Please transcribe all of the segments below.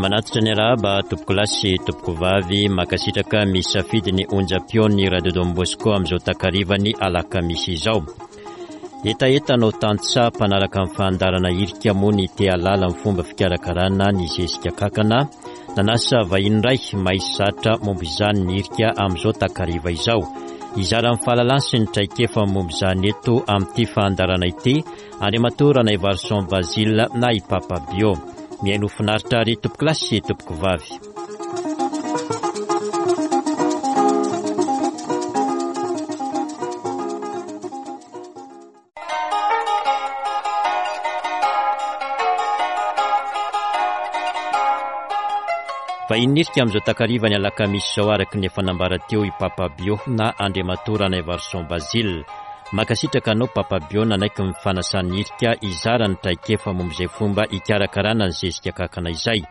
Manatitra ny arahaba tompokolahy sy tompokovavy, mankasitraka misafidy ny onjam-peon'ny Radio Don Bosco amin'izao takarivan'ny alakamisy izao. Hetaheta anao tantsaha mpanaraka ny fandaharana hirika moa ny te hahalala ny fomba fikarakarana ny zezika kankana. Nanasa vahiny iray mahay zatra momba izany ny hirika amin'izao takariva izao. Hizara ny fahalalany sy ny traikefa momba izany eto amin'ity fandaharana ity Andriamatoa Ranaivarison Basile na i Papa Bio. Mihaino finaritra ary tompokolahy sy tompokovavy. Vahiny nirika amin'izao takariva ny alakamisy izao araka ny efa nambara teo i Papa Bio na Andriamatoa Ranaivarison Basile. Mankasitraka anao Papa Bio nanaiky ny fanasan'ny hirika hizara ny traikefa momba izay fomba hikarakarana ny zezika kakana izay.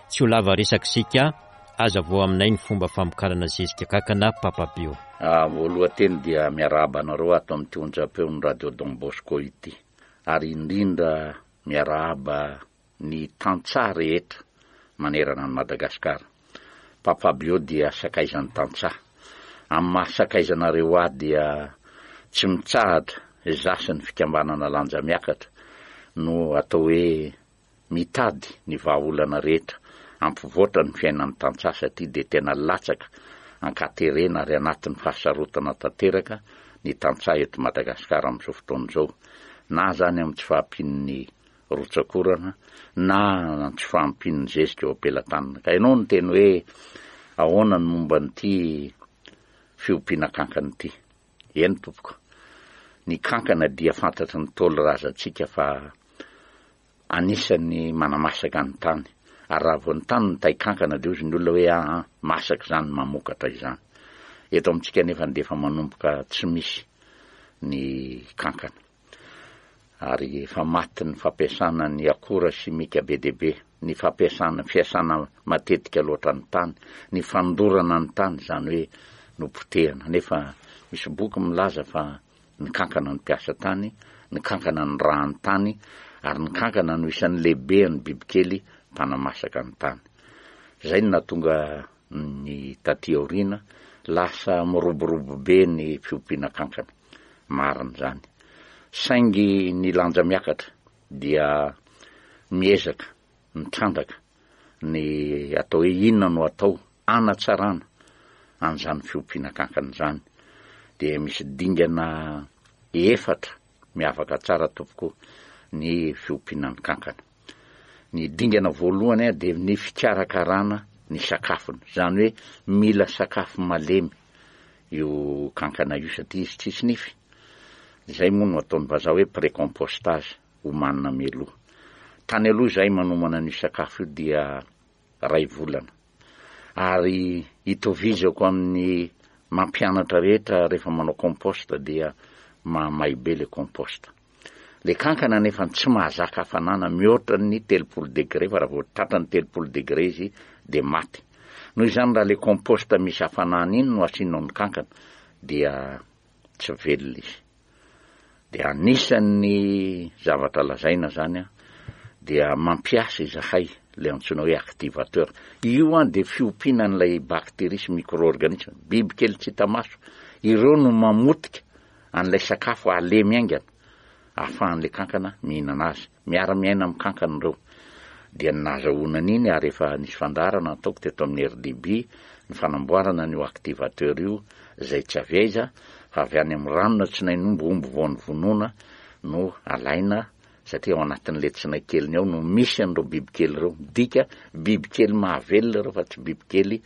Tsy ho lava resaka isika, Hazavao aminay ny fomba famokarana zezika kakana Papa Bio. Voalohan-teny dia miarahaba anareo ato amin'ity onjam-peon'ny Radio Don Bosco ity ary indrindra miarahaba ny tantsaha rehetra manerana an'i Madagasikara. Papa Bio dia sakaizan'ny tantsaha. Amin'ny maha sakaizanareo ahy dia tsy mitsahatra izaho sy ny fikambanana Lanja Miakatra no atao hoe mitady ny vahaolana rehetra hampivoatra ny fiainan'ny tantsaha satria dia tena latsaka ankaterena ary anatin'ny fahasarotana tanteraka ny tantsaha eto Madagasikara amin'izao fotoana izao na izany amin'ny tsy fahampian'ny rotsak'orana na tsy fahampian'ny zezika eo am-pelatanana. Ka ianao niteny hoe ahoana ny momba an'ity fiompiana kankana ity? Eny tompoko, ny kankana dia fantatry ny Ntaolo razantsika fa anisan'ny manamasaka ny tany, ary raha vao ny tany mitay kankana dia hozy ny olona hoe aa masaka izany mamokatra izany. Eto amintsika anefa dia efa manomboka tsy misy ny kankana. Ary efa matin'ny fampiasana ny akora simika be dia be, ny fampiasana, fiasana matetika loatra ny tany, ny fandorana ny tany, izany hoe nopotehana. Nefa misy boky milaza fa ny kankana no mpiasa tany, ny kankana no rahan'ny tany, ary ny kankana no isan'ny lehibean'ny bibikely mpanamasaka ny tany. Izay no nahatonga ny taty aoriana lasa miroborobo be ny fiompiana kankana. Marina izany. Saingy ny lanja miakatra dia miezaka mitrandraka ny atao hoe inona no atao hanatsarana an'izany fiompiana kankana izany. Dia misy dingana efatra miavaka tsara tompoko ny fiompiana ny kankana. Ny dingana voalohany dia ny fikarakarana ny sakafony, izany hoe mila sakafo malemy io kankana io satria izy tsisy nify. Izay moa no ataon'ny vazaha hoe précompostage, omanina mialoha. Tany aloha izahay manomana an'io sakafo io dia ray volana. Ary itovizako amin'ny mampianatra rehetra rehefa manao compost dia mahamay be le compost. Le kankana anefa tsy mahazaka hafanana mihoatra ny 30 degré fa raha vao tratra ny 30 degré izy dia maty. Noho izany raha le compost misy hafanana iny no asianao ny kankana dia tsy velona izy. Dia anisan'ny zavatra lazaina zany an, dia mampiasa izahay le antsoina hoe activateur. Io an dia fiompiana an'ilay bactérie sy micro-organisme, biby kely tsy hita maso. Ireo no mamotika an'ilay sakafo halemy haingana ahafahan'ilay kankana mihinana azy. Miara-miaina amin'ny kankana ireo. Dia ny nahazahoana an'iny ary efa nisy fandaharana nataoko teto amin'ny RDB ny fanamboarana an'io activateur io izay tsy avy aiza fa avy any amin'ny ranona tsinain'omby omby vao novonoina no alaina satria ao anatin'ilay tsinay keliny ao no misy an'ireo bibikely ireo. Midika bibikely mahavelona ireo fa tsy bibikely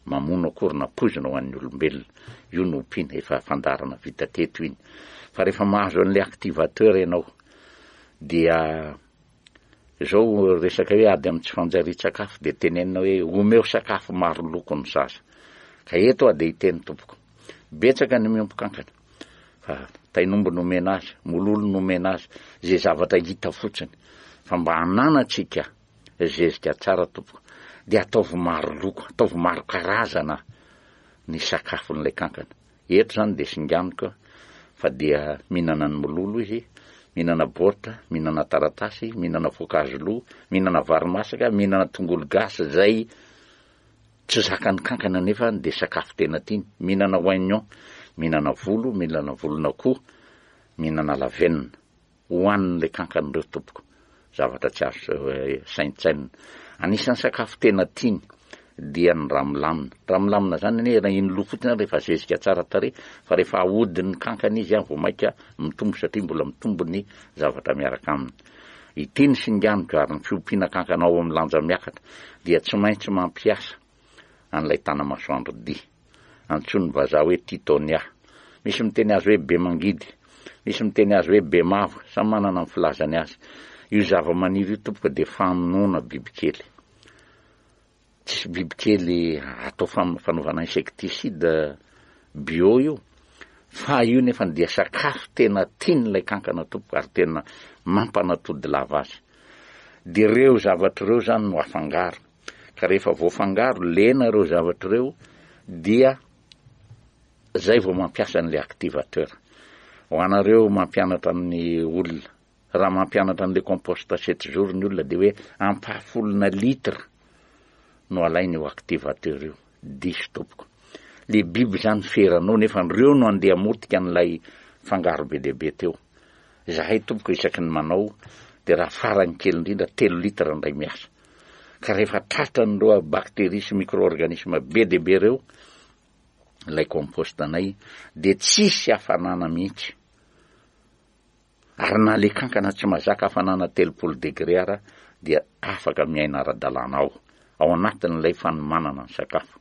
mamono akory na poizina ho an'ny olombelona. Io no ompiana, efa fandaharana vita teto iny. Fa rehefa mahazo an'ilay activateur ianao dia izao resaka hoe ady amin'ny tsy fanjarian-tsakafo dia tenenina hoe omeo sakafo maro loko ny zaza. Ka eto aho dia hiteny tompoko, betsaka ny miompy kankana fa tain'omby no omena azy, mololo no omena azy, izay zavatra hita fotsiny. Fa mba hananantsika Zezika tsara tompoko. Dia ataovy maro loko, ataovy maro karazana ny sakafon'ilay kankana. Eto izany dia singaniko fa dia mihinana ny mololo izy, Mihinana baoritra, mihinana taratasy, mihinana voankazo lo, mihinana vary masaka, mihinana tongolo gasy izay tsy zakan'ny kankana nefa dia sakafo tena tiany, mihinana oignon, mihinana volo, mihinana volon'akoho, mihinana lavenona. Hohanin'ilay kankana ireo tompoko. Zavatra tsy azo saintsainina. Anisan'ny sakafo tena tiany dia ny ramilamina. Ramilamina izany anie raha iny loha fotsiny ary efa zezika tsara tarehy fa rehefa ahodin'ny kankana izy vao mainka mitombo satria mbola mitombo ny zavatra miaraka aminy. Ity ny singaniko ary ny fiompiana kankana ao amin'ny lanja miakatra dia tsy maintsy mampiasa an'ilay tanamasoandro dia. Antsoin'ny vazaha hoe Tithonia. Misy miteny azy hoe Bemangidy. Misy miteny azy hoe Bemavo. Samy manana ny filazany azy. Io zavamaniry io tompoko dia famonoana bibikely. Tsisy bibikely atao fanaovana insecticide bio io. Fa io nefany dia sakafo tena tian'ilay kankana tompoko ary tena mampanatody lava azy. Dia ireo zavatra ireo izany no afangaro. Ka rehefa voafangaro, lena ireo zavatra ireo dia zay vao mampiasa an'ilay activateur. Ho anareo mampianatra ny olona, raha mampianatra an'ilay compost sept jours ny olona dia hoe ampahafolona litre no alaina io activateur io. Diso tompoko. Le biby zany feranao nefa ireo no andeha hamotika an'ilay fangaro be dia be teo. Izahay tompoko isaky ny manao dia raha farany kely indrindra telo litre indray miasa. Ka rehefa tratran'ireo bactéries sy micro-organismes be dia be ireo ilay compost anay dia tsisy hafanana mihitsy. Ary na le kankana tsy mazaka hafanana 30 degré ara dia afaka miaina ara-dalàna ao, ao anatin'ilay fanomanana ny sakafo.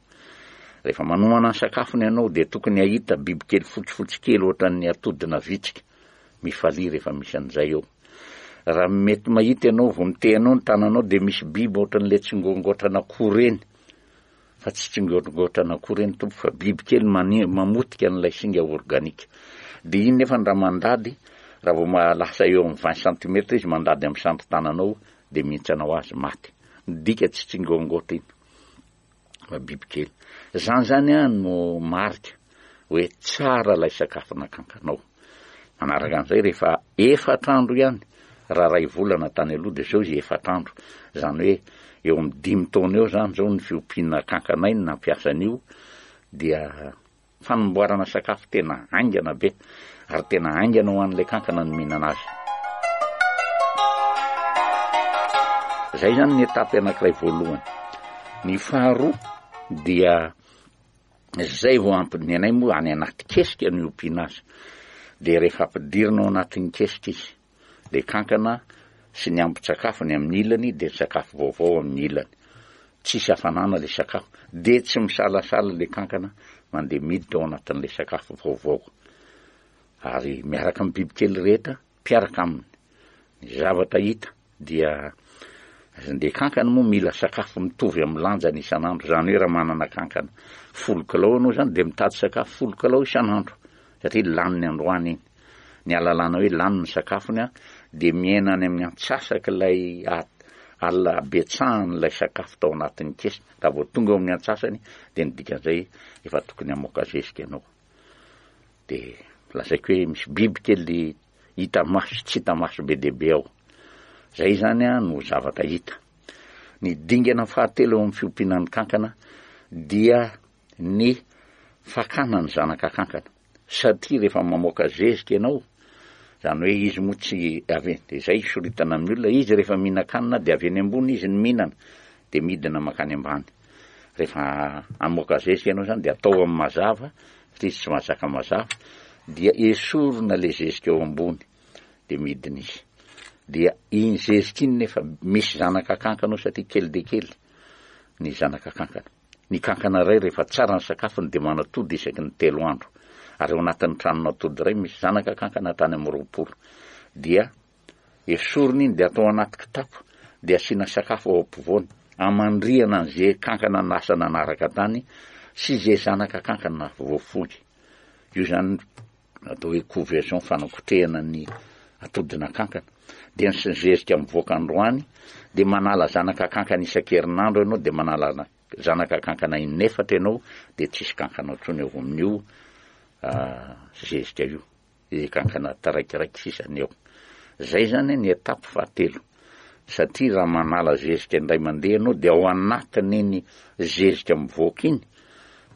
Rehefa manomana ny sakafony ianao dia tokony hahita bibikely fotsifotsy kely ohatran'ny atodina vitsika. Mifalia rehefa misy an'izay eo. Raha mety mahita ianao vao mitehanao ny tananao dia misy biby ohatran'ilay tsingoangoatran'akoho ireny. Fa tsy tsingoangoatran'akoho ireny tompo fa biby kely mamotika an'ilay singa organika. Dia iny nefa raha mandady, raha vao lasa eo amin'ny vingt centimètres izy mandady amin'ny sandrin-tananao dia mihintsana ho azy maty. Midika tsy tsingoangoatra iny. fa bibikely. Zany zany an no marika hoe tsara ilay sakafo nakankanao. Manaraka an'izay rehefa efatra andro ihany, raha ray volana tany aloha dia zao izy efatra andro. Zany hoe eo amin'ny dimy taona eo zany zao ny fiompiana kankanay no nampiasa an'io dia Fanamboarana sakafo tena haingana be ary tena haingana ho an'ilay kankana ny mihinana azy. Izay izany ny étape anankiray voalohany. Ny faharoa dia izay vao ampy ny anay moa any anaty kesika no iompiana azy. Dia rehefa ampidirina ao anatin'ny kesika izy, Ilay kankana sy ny ambin-tsakafony amin'ny ilany dia ny sakafo vaovao amin'ny ilany. Tsisy hafanana ilay sakafo. Dia tsy misalasala ilay kankana mandeha miditra ao anatin'ilay sakafo vaovao. Ary miaraka amin'ny bibikely rehetra mpiaraka aminy. Ny zavatra hita dia ilay kankana moa mila sakafo mitovy amin'ny lanjany isan'andro. Izany hoe raha manana kankana folo kilao ianao izany dia mitady sakafo folo kilao isan'andro satria laniny androany iny. Ny ahalalana hoe lany ny sakafony dia miaina any amin'ny antsasak'ilay habetsahan'ilay sakafo tao anatin'ny kesy. Raha vao tonga eo amin'ny antsasany dia ny dikan'izay efa tokony hamoaka zezika ianao. Dia lazaiko hoe misy biby kely hita maso sy tsy hita maso be dia be ao. Izay izany no zavatra hita. Ny dingana fahatelo eo amin'ny fiompiana ny kankana dia ny fakana ny zanaka kankana satria rehefa mamoaka zezika ianao, izany hoe izy moa tsy avy eny, dia izay soritana amin'ny olona, izy rehefa mihinan-kanina dia avy eny ambony izy no mihinana, dia midina mankany ambany. Rehefa hamoaka zezika ianao izany dia atao amin'ny mazava, satria izy tsy mahazaka mazava, dia esorina ilay zezika eo ambony, dia midina izy. Dia iny zezika iny nefa misy zanaka kankana ao satria kely dia kely ny zanaka kankana. Ny kankana iray rehefa tsara ny sakafony dia manatody isaky ny telo andro. Ary ao anatin'ny tranon'atody iray misy zanaka kankana hatrany amin'ny 20. Dia esorina iny dia atao anaty kitapo dia asiana sakafo ao ampovoany hamandrihana an'izay kankana lasa nanaraka tany sy izay zanaka kankana voafoy. Io izany atao hoe couvaison, fanakotrehana ny atodina kankana, dia ny zezika mivoaka androany dia manala zanaka kankana isan-kerinandro ianao dia manala zanaka kankana inefatra ianao dia tsisy kankana intsony eo amin'io zezika io, izay kankana taraikiraiky sisa ny eo. Zay zany ny étape fahatelo. Satria raha manala zezika indray mandeha ianao dia ao anatin'iny zezika mivoaka iny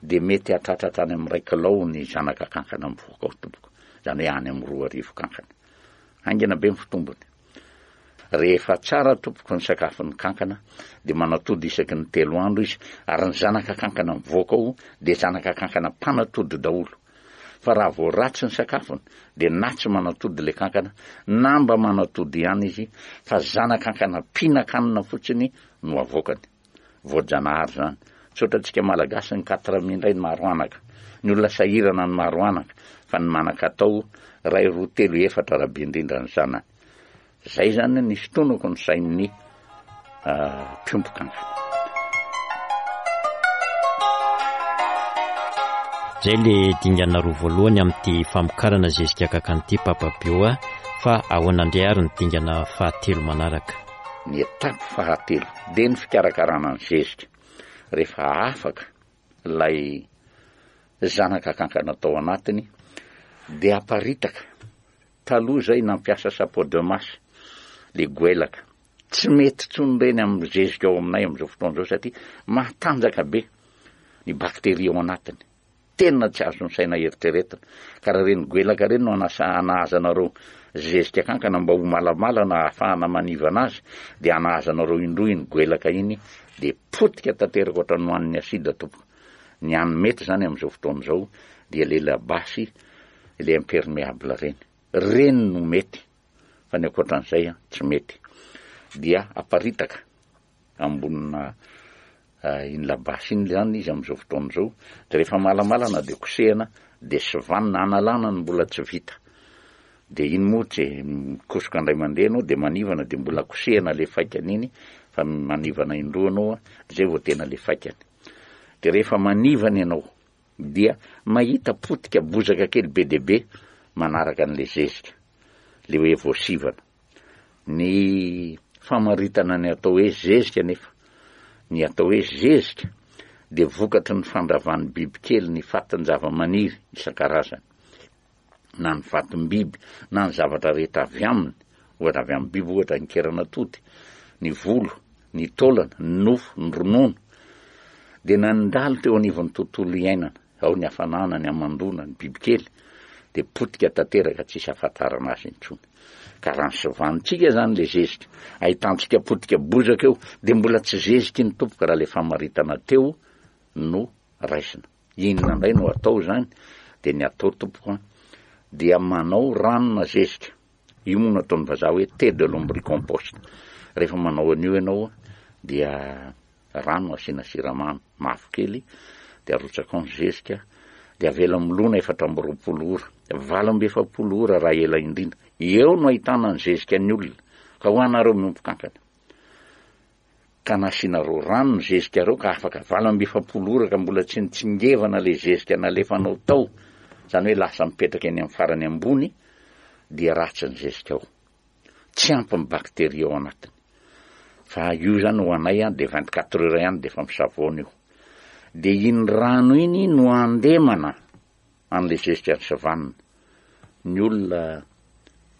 dia mety hahatratra hatrany amin'ny iray kilao ny zanaka kankana mivoaka ao tompoko. Izany hoe any amin'ny 2000 kankana. Haingana be ny fitombony. Rehefa tsara tompoko ny sakafon'ny kankana dia manatody isaky ny telo andro izy ary ny zanaka kankana mivoaka ao dia zanaka kankana mpanatody daholo. Fa raha vao ratsy ny sakafony dia na tsy manatody ilay kankana na mba manatody ihany izy fa zana-kankana mpihinan-kanina fotsiny no avoakany. Voajanahary izany. Tsy ohatrantsika Malagasy ny quatre mille indray ny maro anaka. Ny olona sahirana ny maro anaka fa ny manan-katao iray roa telo efatra raha be indrindra ny zanany. Zay zany ny fitonako ny sain'ny mpiompy kankana. Zay le dingana roa voalohany amin'ity famokarana zezika kankana ity Papa Bio a, fa ahoana indray ary ny dingana fahatelo manaraka? Ny étape fahatelo dia ny fikarakarana ny zezika. Rehefa afaka ilay zanaka kankana tao anatiny dia aparitaka Taloha zay nampiasa chapeau de masse le goelaka. Tsy mety tsony reny am zezika ao aminay amzao fotoana zao satria matanjaka be ny bacterie ao anatiny. Tena tsy azon'ny saina eritreretina. Ka raha reny goelaka reny no anasa anahazanareo zezika kankana mba ho malamalana ahafahana manivana azy dia anahazanareo indroa iny goelaka iny dia potika tanteraka ohatran'ny nohanin'ny acide tompoko. Ny hany mety zany amzao fotoana zao dia le labasy ilay impermeable ireny, ireny no mety fa ny ankoatran'izay an tsy mety, dia aparitaka ambonina iny labasy iny zany izy amin'izao fotoana izao, de rehefa malamalana de kosehana de sivanina analana ny mbola tsy vita, de iny moa tsy mikosoka indray mandeha ianao de manivana de mbola kosehana le faikany iny fa manivana indroa ianao an, zay vao tena le faikany, de rehefa manivana ianao dia mahita potika bozaka kely be dia be manaraka an'ilay zezika, ilay hoe voasivana. Ny famaritana ny atao hoe zezika anefa, ny atao hoe zezika dia vokatry ny fandravan'ny bibikely ny fatin-javamaniry isan-karazany. na ny vatom-biby na ny zavatra rehetra avy aminy, ohatra avy amin'ny biby ohatra ny keran'atody, ny volo, ny taolana, ny nofo, ny ronono, dia nandalo teo anivon'ny tontolo iainana, ao ny hafanana, ny hamandoana, ny bibikely, dia potika tanteraka tsisy ahafantarana azy intsony. Ka raha ny sovanintsika izany ilay zezika, ahitantsika potika bozaka eo, dia mbola tsy zezika iny tompoko raha ilay famaritana teo no raisina. Inona indray no atao izany? Dia ny atao tompoko an, dia manao ranona zezika. Io moa no ataon'ny vazaha hoe thé de lombricompost. Rehefa manao an'io ianao dia rano asiana siramamy mavokely dia arotsaka ao ny zezika dia avela milona 24 ora, 48 ora raha ela indrindra. Eo no ahitana ny zezika ny olona. Ka ho anareo miompy kankana. Ka nasianareo rano ny zezikareo ka afaka 48 ora ka mbola tsy nitsingevana le zezika nalefanao tao, zany hoe lasa mipetraka eny amin'ny farany ambony dia ratsy ny zezika ao. Tsy ampy ny bacterie ao anatiny. Fa io zany ho anay an dia 24 heures ihany dia efa misavoana io. Dia iny rano iny no andemana an'le zezika any savanina. Ny olona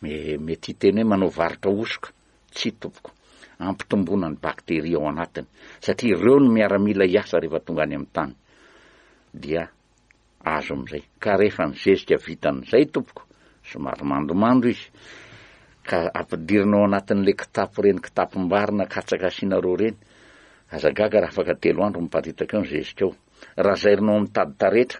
mety hiteny hoe manao varotra hosoka. Tsia tompoko. Ampitomboana ny bakteria ao anatiny satria ireo no miaramila hiasa rehefa tonga any amin'ny tany. Dia azo amin'izay. Ka rehefa ny zezika vita amin'izay tompoko, somary mandomando izy, ka ampidirina ao anatin'ilay kitapo ireny kitapom-bary na katsaka asianareo ireny, aza gaga raha afaka telo andro miparitaka eo ny zezika ao. Raha zairinao amin'ny tady taretra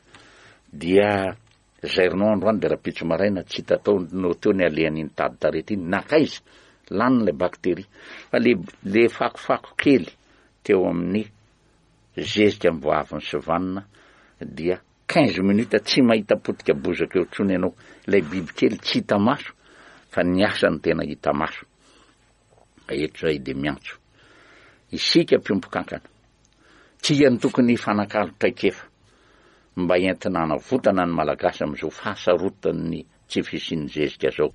dia Zairinao androany dia rahampitso maraina tsy hita tao no teo ny alehan'iny tady tarety iny, nankaiza? Laniny ilay bacterie. Fa le le fakofako kely teo amin'ny zezika vao avy nisivanina dia 15 minutes tsy mahita potika bozaka eo intsony ianao. Ilay bibikely tsy hita maso fa ny asany tena hita maso. Eto izay dia miantso isika mpiompy kankana. Tsika no tokony hifanakalo traikefa mba entina hanavotana ny Malagasy amin'izao fahasarotan'ny tsy fisian'ny zezika zao.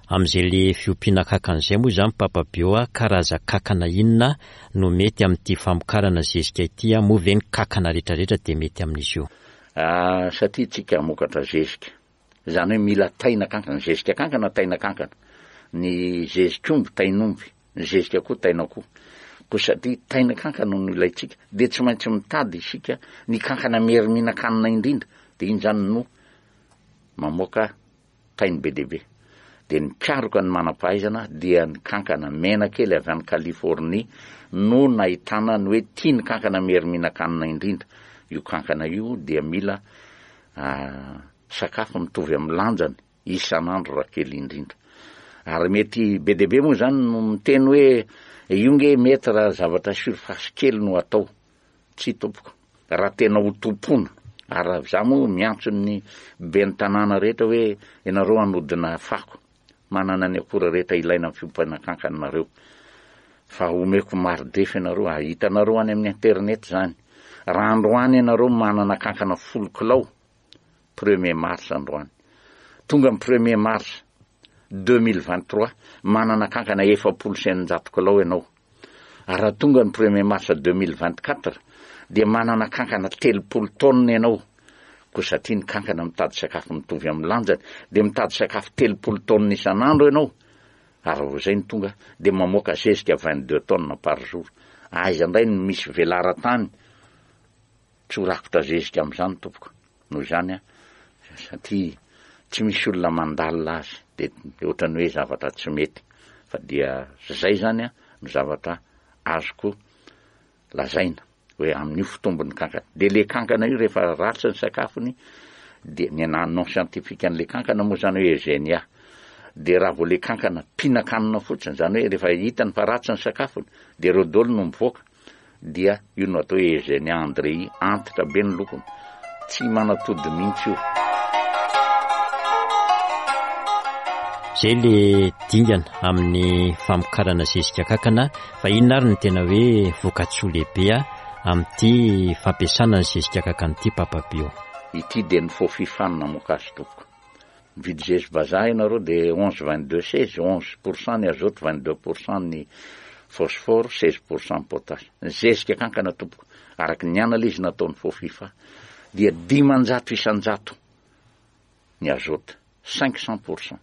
Amin'izay le fiompiana kankana izay moa izany Papa Bio a, karazan-kankana inona no mety amin'ity famokarana zezika ity a, moa ve ny kankana retraretra dia mety amin'izy io? Ah, satria tsika hamokatra zezika, izany hoe mila taina kankana, zezika kankana, taina kankana. Ny zezik'omby tain'omby, ny zezika koa tain'akoho. Koa satria taina kankana no ilaintsika, dia tsy maintsy mitady isika ny kankana mery mihinan-kanina indrindra, dia iny izany no mamoaka tainy be dia be. Dia nikaroka ny manam-pahaizana dia ny kankana mena kely avy any Californie no nahitana ny hoe tia ny kankana mery mihinan-kanina indrindra. Io kankana io dia mila sakafo mitovy amin'ny lanjany isan'andro raha kely indrindra. Ary mety be dia be moa izany no miteny hoe io nge mety raha zavatra surface kely no atao. Tsia tompoko. Raha tena ho tompoina, ary raha za moa miantso ny ben'ny tanàna rehetra hoe ianareo hanodina fako, manana ny akora rehetra ilaina amin'ny fiompiana kankana nareo. Fa omeko mari-drefy ianareo, ary hitanareo any amin'ny internet izany. Raha androany ianareo manana kankana folo kilao, premier mars androany. Tonga ny premier mars 2023, manana kankana 640 kilao ianao. Ary raha tonga ny premier mars 2024 dia manana kankana 30 taonina ianao. Koa satria ny kankana mitady sakafo mitovy amin'ny lanjany dia mitady sakafo 30 taonina isan'andro ianao. Ary raha vao izay no tonga dia mamoaka zezika 22 tonnes par jour. Aiza indray no misy velaran-tany Tsy ho rakotra zezika amin'izany tompoko. Noho izany an, satria tsy misy olona mandalina azy dia ohatran'ny hoe zavatra tsy mety. Fa dia izay izany an no zavatra azoko lazaina hoe amin'io fitombon'ny kankana. Dia le kankana io rehefa ratsy ny sakafony dia ny ana nom scientifique an'le kankana moa izany hoe Eugenia. Dia raha vao le kankana mpihinan-kanina fotsiny, izany hoe rehefa hitany fa ratsy ny sakafony dia ireo daholo no mivoaka. dia io no atao hoe Eugenia Andrei, antitra be ny lokony, tsy manatody mihitsy io. Zay le dingana amin'ny famokarana zezika kakana fa inona ary no tena hoe vokatsoa lehibe amin'ity fampiasana ny zezika kakana ity Papa Bio? Ity dia ny faux fifa no namoaka azy tompoko. Mividy zezi vazaha ianareo dia 11 22 16, 11 pour cent ny azote, 22 pour cent ny phosphore, 16 pour cent ny potasse. Ny zezika kankana tompoko, araka ny analyse nataon'ny Fofifa dia 500 isan-jato ny azote, 500 pour cent,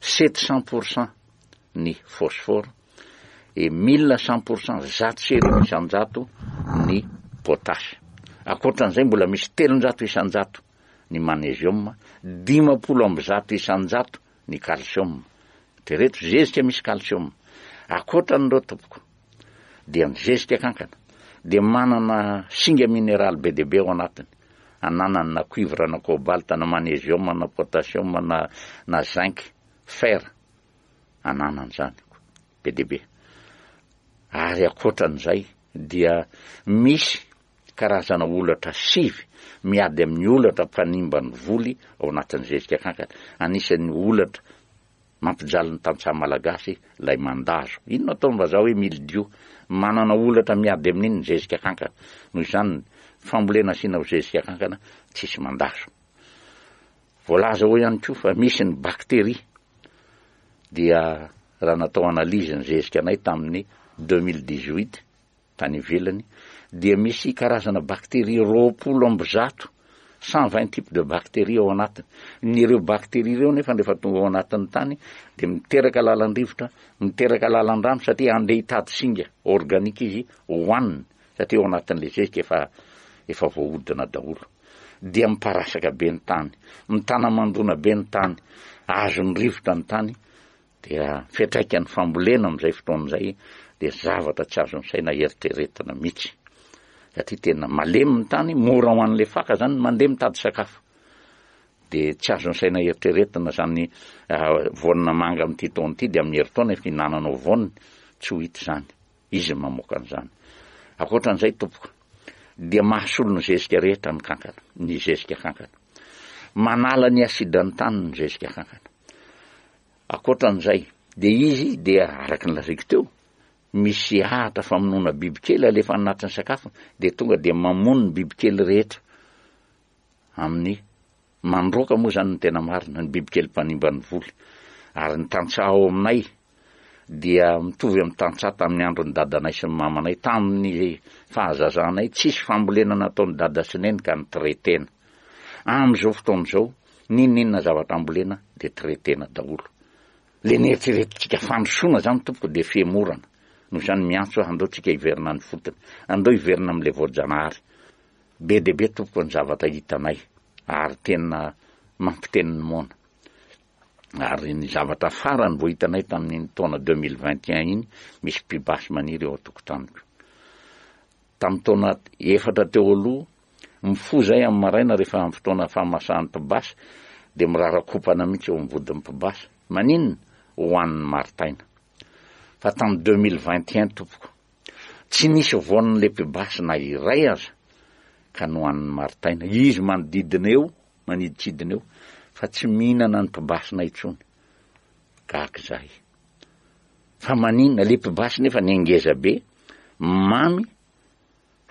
700 pour cent ny phosphore et 1100 pour cent, 1100 isan-jato ny potasse. Ankoatran'izay mbola misy 300 isan-jato ny maneziôma, 150% ny kalsiôma. Eritrereto, zezika misy kalsiôma. Ankoatra an'ireo tompoko, dia ny zezika kankana dia manana singa mineraly be dia be ao anatiny. Ananany na cuivre na cobalt na maneziôma na potassium na na zinc, fer, ananany izany be dia be. Ary ankoatran'izay dia misy Karazana holatra sivy miady amin'ny holatra mpanimba ny voly ao anatin'ny zezika kankana. Anisan'ny holatra mampijaly ny tantsaha malagasy ilay mandazo. Inona ataon'ny vazaha hoe mildiou? Manana holatra miady amin'iny ny zezika kankana. Noho izany, ny fambolena asiana zezika kankana tsisy mandazo. Voalaza ao ihany koa fa misy ny bakteria dia raha natao analyse ny zezika anay tamin'ny 2018 tany ivelany dia misy karazana bakteria 120, 120 types de bactéries ao anatiny. Ny ireo bakteria ireo nefa rehefa tonga ao anatin'ny tany dia miteraka lalan-drivotra, miteraka lalan-drano satria handeha hitady singa organika izy hohaniny satria ao anatin'ilay zezika efa efa voahodina daholo. Dia miparasaka be ny tany, mitana mandona be ny tany, azon'ny rivotra ny tany Dia fiantraikan'ny fambolena amin'izay fotoana izay dia zavatra tsy azon'ny saina eritreretina mihitsy. Satria tena malemy ny tany, mora ho an'ilay faka zany ny mandeha mitady sakafo. Dia tsy azon'ny saina eritreretina zany voanina manga amin'ity taona ity dia amin'ny herintaona efa hinananao voaniny, tsy ho hita izany. Izy no mamoaka an'izany. Ankoatran'izay tompoko, dia mahasolo ny zezika rehetra ny kankana, ny zezika kankana. Manala ny asidran'ny tany ny zezika kankana. Ankoatran'izay, dia izy dia araka ny lazaiko teo, misy ahatra famonoana bibikely alefa anatin'ny sakafony, dia tonga dia mamono ny bibikely rehetra amin'ny mandroaka moa izany ny tena marina, ny bibikely mpanimba ny voly. Ary ny tantsaha ao aminay dia mitovy amin'ny tantsaha tamin'ny andron'ny dadanay sy ny mamanay, tamin'ny fahazazanay, tsisy fambolena nataon'i dada sy neny ka ni-traiter-na. Amin'izao fotoana izao, n'inon'inona zavatra ambolena dia traiter-na daholo. Le neritreretintsika fandrosoana zany tompoko dia fihemorana. Noho izany miantso aho andao tsika hiverina any fotony. Andao hiverina amin'ilay voajanahary. Be dia be tompoko ny zavatra hitanay ary tena mampiteny ny moana. Ary ny zavatra farany vao hitanay tamin'iny taona 2021 iny, misy pibasy maniry eo an-tokotaniko. Tamin'ny taona efatra teo aloha, mifoha izahay amin'ny maraina rehefa amin'ny fotoana fahamasahan'ny mpibasy dia mirarakopana mihitsy eo amin'ny vodin'ny mpibasy. Maninona? Hohanin'ny maritaina. Fa tamin'ny 2021 tompoko, tsy nisy voan'ilay mpibasy na iray aza ka nohanin'ny maritaina. Izy manodidina eo, manidintsidina eo, fa tsy mihinana ny mpibasina intsony. Gaga izahay. Fa maninona? Le mpibasy nefa ny ngeza be, mamy,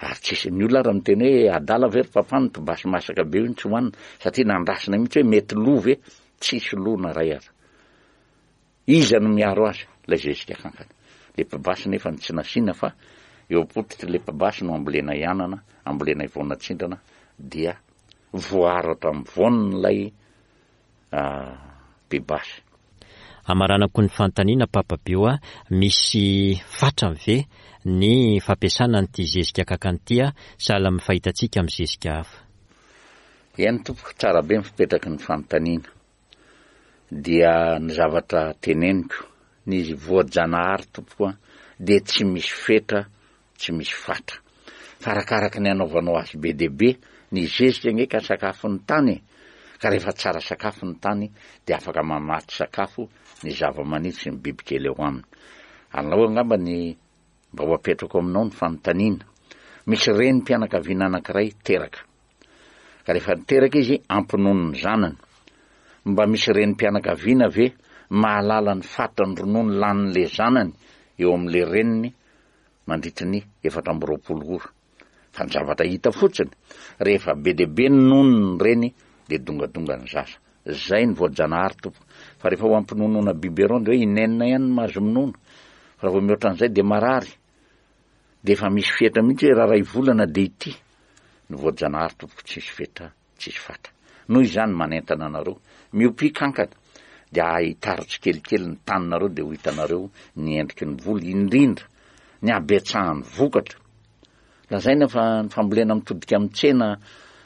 ary tsisy, ny olona ary miteny hoe adala ve ry papa ny mpibasy masaka be io no tsy hohanina, satria nandrasina mihitsy hoe mety lo ve, tsisy lo na ray aza. Iza no miaro azy? Ilay zezika kankana. Le mpibasy nefa ny tsy nasiana fa eo am-pototry le mpibasy no ambolenay anana, ambolenay voanatsindrana dia voaaro hatramin'ny voaniny ilay mpibasy. Amaranako ny fanontaniana Papa Bio a, misy fatrany ve ny fampiasana an'ity zezika kankana ity a, sahala amin'ny fahitantsika amin'ny zezika hafa? Eny tompoko, tsara be ny fipetraky ny fanontaniana. Dia ny zavatra teneniko, ny voajanahary tompoko a, dia tsy misy fetra tsy misy fatra. Fa arakaraky ny anaovanao azy be dia be, ny zezika ange ka sakafon'ny tany e! Ka rehefa tsara sakafo ny tany dia afaka mamatsy sakafo ny zavamaniry sy ny bibikely eo aminy. Alao angamba ny mba ho apetrako aminao ny fanontaniana. Misy renim-pianakaviana anankiray teraka. Ka rehefa niteraka izy ampinono ny zanany. Mba misy renim-pianakaviana ve mahalala ny fatran'ny ronono lanin'le zanany eo amin'le reniny mandritry ny 24 ora. Fa ny zavatra hita fotsiny, rehefa be dia be ny nono ny reny dia dongadonga ny zaza. Zay ny voajanahary tompoko. Fa rehefa ho ampinonoana biberon dia hoe inenina ihany no mahazo minono. Fa raha vao mihoatra an'izay dia marary. Dia efa misy fetra mihitsy hoe raha iray volana dia ity. Ny voajanahary tompoko tsisy fetra. tsisy fatra. Noho izany manentana anareo, miopia kankana, dia ahitaro tsikelikely ny taninareo dia ho hitanareo ny endriky ny voly, indrindra ny habetsahan'ny vokatra. Lazaina fa ny fambolena mitodika amin'ny tsena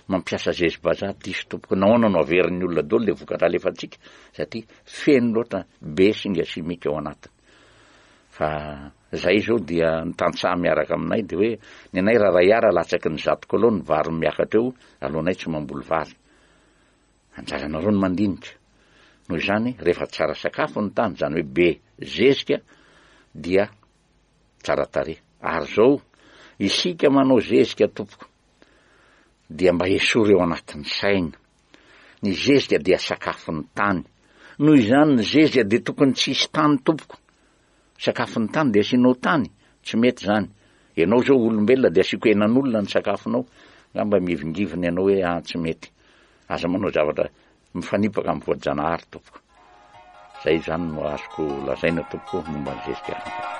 mampiasa zezi-bazaha diso tompoko. Nahoana no averin'ny olona daholo ilay vokatra alefantsika? Satria feno loatra be singa simika ao anatiny. Fa Zay zao dia ny tantsaha miaraka aminay dia hoe ny anay raha ray ara latsaky ny zato kilao ny vary miakatra eo alohanay tsy mamboly vary. Anjaranareo ny mandinika. Noho izany rehefa tsara sakafo ny tany izany hoe be zezika dia tsara tarehy. Ary zao isika manao zezika tompoko dia mba esory eo anatin'ny saina. Ny zezika dia sakafon'ny tany. Noho izany ny zezika dia tokony tsy hisy tany tompoko. Sakafon'ny tany dia asianao tany? Tsy mety izany. Ianao izao olombelona dia asiako henan'olona ny sakafonao, angamba mihevingivina ianao hoe ah tsy mety. Aza manao zavatra mifanipaka amin'ny voajanahary tompoko. Izay izany no azoko lazaina tompoko momba ny zezika kankana.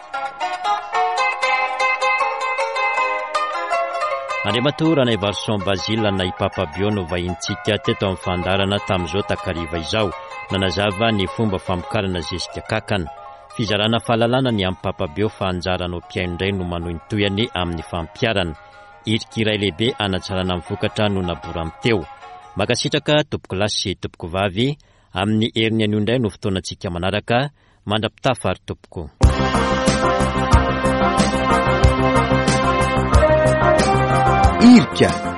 Andriamatoa Ranaivarison Basile na i Papa Bio no vahintsika teto amin'ny fandaharana tamin'izao takariva izao. Nanazava ny fomba famokarana zezika kakana. Fizarana fahalalana ny amin'i Papa Beo fa anjaranao mpihaino indray no manohy ny tohiny amin'ny fampiharana. Hirika iray lehibe hanatsarana ny vokatra no naborany teo. Mankasitraka tompokolahy sy tompokovavy, amin'ny heriny anio indray no fotoanantsika manaraka, mandra-pitafa ary tompoko. Hirika.